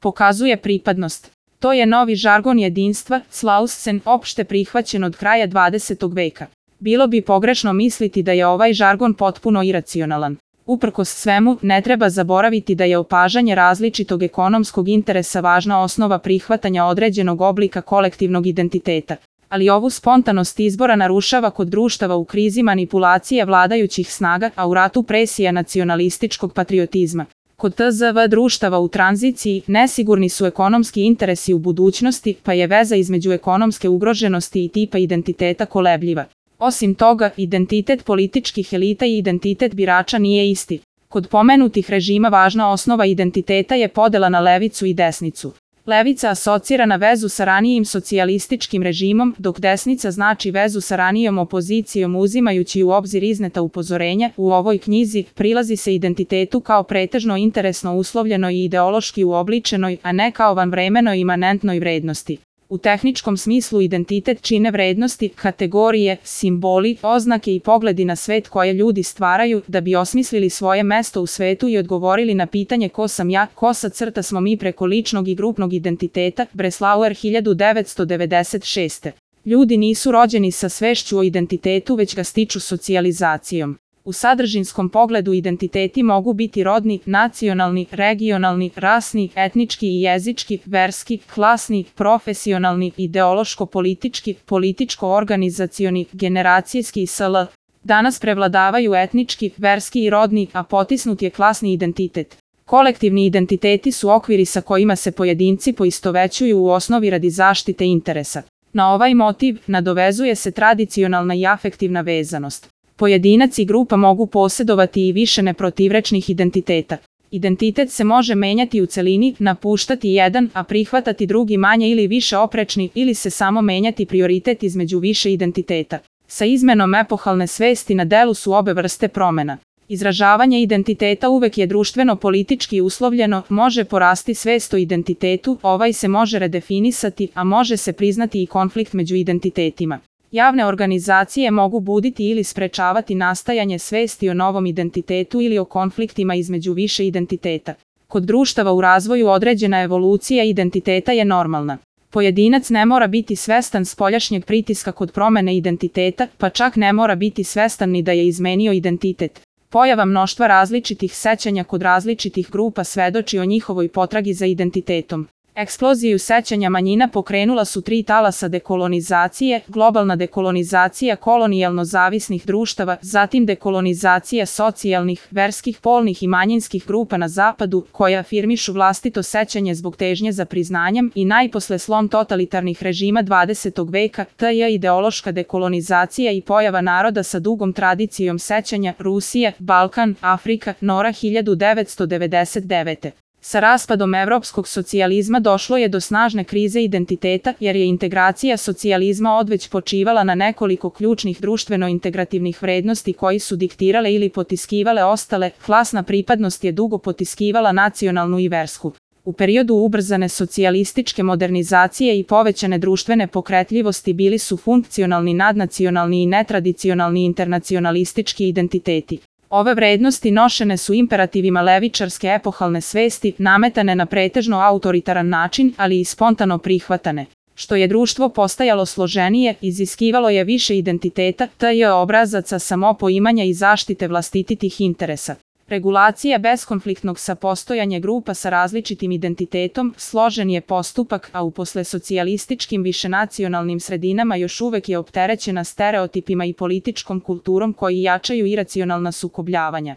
pokazuje pripadnost. To je novi žargon jedinstva, Slausen, opšte prihvaćen od kraja 20. veka. Bilo bi pogrešno misliti da je ovaj žargon potpuno iracionalan. Uprkos svemu, ne treba zaboraviti da je opažanje različitog ekonomskog interesa važna osnova prihvatanja određenog oblika kolektivnog identiteta. Ali ovu spontanost izbora narušava kod društava u krizi manipulacija vladajućih snaga, a u ratu presija nacionalističkog patriotizma. Kod TZV društava u tranziciji nesigurni su ekonomski interesi u budućnosti, pa je veza između ekonomske ugroženosti i tipa identiteta kolebljiva. Osim toga, identitet političkih elita i identitet birača nije isti. Kod pomenutih režima važna osnova identiteta je podela na levicu i desnicu. Levica asocira na vezu sa ranijim socijalističkim režimom, dok desnica znači vezu sa ranijom opozicijom. Uzimajući u obzir izneta upozorenja, u ovoj knjizi prilazi se identitetu kao pretežno interesno uslovljenoj i ideološki uobličenoj, a ne kao vanvremenoj imanentnoj vrednosti. U tehničkom smislu identitet čine vrednosti, kategorije, simboli, oznake i pogledi na svet koje ljudi stvaraju da bi osmislili svoje mesto u svetu i odgovorili na pitanje ko sam ja, smo mi preko ličnog i grupnog identiteta, Breslauer 1996. Ljudi nisu rođeni sa svešću o identitetu, već ga stiču socijalizacijom. U sadržinskom pogledu identiteti mogu biti rodni, nacionalni, regionalni, rasni, etnički i jezički, verski, klasni, profesionalni, ideološko-politički, političko-organizacioni, generacijski i sl. Danas prevladavaju etnički, verski i rodni, a potisnut je klasni identitet. Kolektivni identiteti su okviri sa kojima se pojedinci poistovećuju u osnovi radi zaštite interesa. Na ovaj motiv nadovezuje se tradicionalna i afektivna vezanost. Pojedinac i grupa mogu posjedovati i više neprotivrečnih identiteta. Identitet se može menjati u celini, napuštati jedan, a prihvatati drugi manje ili više oprečni, ili se samo menjati prioritet između više identiteta. Sa izmenom epohalne svesti na delu su obe vrste promena. Izražavanje identiteta uvek je društveno-politički uslovljeno, može porasti svest o identitetu, ovaj se može redefinisati, a može se priznati i konflikt među identitetima. Javne organizacije mogu buditi ili sprečavati nastajanje svesti o novom identitetu ili o konfliktima između više identiteta. Kod društava u razvoju određena evolucija identiteta je normalna. Pojedinac ne mora biti svestan spoljašnjeg pritiska kod promene identiteta, pa čak ne mora biti svestan ni da je izmenio identitet. Pojava mnoštva različitih sećanja kod različitih grupa svedoči o njihovoj potragi za identitetom. Eksploziju sećanja manjina pokrenula su 3 talasa dekolonizacije, globalna dekolonizacija kolonijalno zavisnih društava, zatim dekolonizacija socijalnih, verskih, polnih i manjinskih grupa na zapadu, koje afirmišu vlastito sećanje zbog težnje za priznanjem i najposle slom totalitarnih režima 20. veka, t.j. ideološka dekolonizacija i pojava naroda sa dugom tradicijom sećanja, Rusija, Balkan, Afrika, Nora 1999. Sa raspadom evropskog socijalizma došlo je do snažne krize identiteta jer je integracija socijalizma odveć počivala na nekoliko ključnih društveno-integrativnih vrednosti koji su diktirale ili potiskivale ostale, klasna pripadnost je dugo potiskivala nacionalnu i versku. U periodu ubrzane socijalističke modernizacije i povećane društvene pokretljivosti bili su funkcionalni nadnacionalni i netradicionalni internacionalistički identiteti. Ove vrednosti nošene su imperativima levičarske epohalne svesti, nametane na pretežno autoritaran način, ali i spontano prihvatane. Što je društvo postajalo složenije, iziskivalo je više identiteta, t.j. obrazaca samopoimanja i zaštite vlastitih interesa. Regulacija beskonfliktnog sapostojanja grupa sa različitim identitetom složen je postupak, a u poslesocijalističkim višenacionalnim sredinama još uvek je opterećena stereotipima i političkom kulturom koji jačaju iracionalna sukobljavanja.